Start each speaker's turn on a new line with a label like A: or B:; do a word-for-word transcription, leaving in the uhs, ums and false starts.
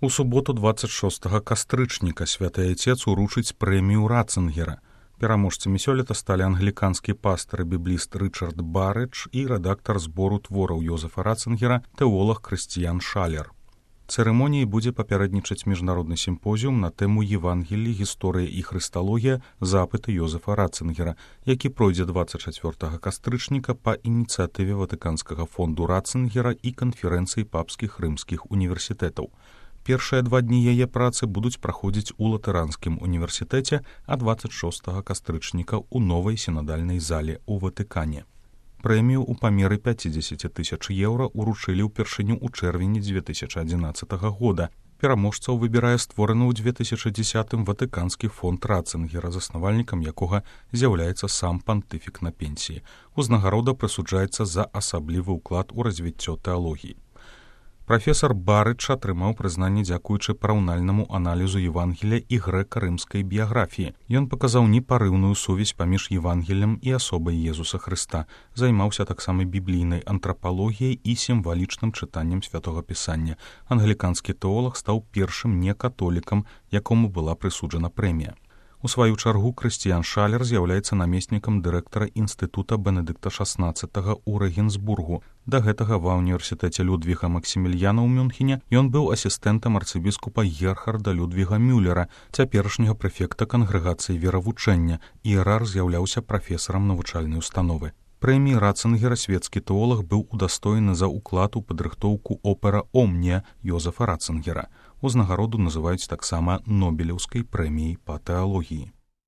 A: У суботу дваццаць шостага кастрычніка святы айцец уручыць прэмію Ратцынгера. Пераможцамі сёлета сталі англіканскі пастар і бібліст Рычард Барэдж і рэдактар збору твораў Йозефа Ратцынгера тэолаг Крыстіян Шалер. Цырымоніяй будзе папярэднічаць міжнародны сімпозіум на тэму Евангелій, гісторыя і хрысталогія, запыты Йозефа Ратцынгера, які пройдзе дваццаць чацвёртага кастрычніка па ініцыятыве Ватыканскага фонду Ратцынгера і канферэнцыі папскіх рымскіх універсітэтаў. Першыя два дні яе працы будуць праходзіць у Латыранскім універсітэце, а дваццаць шостага кастрычніка ў новай сінадальнай зале ў Ватыкане. Прэмію ў памеры пяцьдзесят тысяч еўра уручылі ўпершыню ў чэрвені дзве тысячы адзінаццатага года. Пераможцаў выбірае створаны ў две тысячы дзесятым Ватыканскі фонд Ратцынгера, заснавальнікам якога з'яўляецца сам пантыфік на пенсіі. Узнагарода прысуджаецца за асаблівы ўклад у развіццё тэалогіі. Прафесар Барэдж атрымаў прызнанне дзякуючы параўнальнаму аналізу Евангелія і грэка-рымскай біяграфіі. Ён паказаў непарыўную сувязь паміж Евангелем і асобай Езуса Хрыста, займаўся таксама біблійнай антрапалогіяй і сімвалічным чытаннем святога пісання. Англіканскі тэолаг стаў першым некатолікам, якому была прысуджана прэмія. У сваю чаргу Крыстіян Шалер з'яўляецца намеснікам дырэктара інстытута Бенедыкта шаснаццатага ў Рэгенсбургу. Да гэтага ва ўніверсітэце Людвіга Максімільяна ў Мюнхене ён быў асістэнтам арцыбіскупа Герхарда Людвіга Мюллера, цяперашняга прэфекта кангрэгацыі веравучэння. Іерар з'яўляўся прафесарам навучальнай установы. Прэміі Ратцынгера свецкі тэолаг быў удастоены за ўклад у падрыхтоўку опера «Омнія» Йозефа Ратцынгера. Узнагароду называюць таксама Нобелеўскай прэміяй па тэалогіі.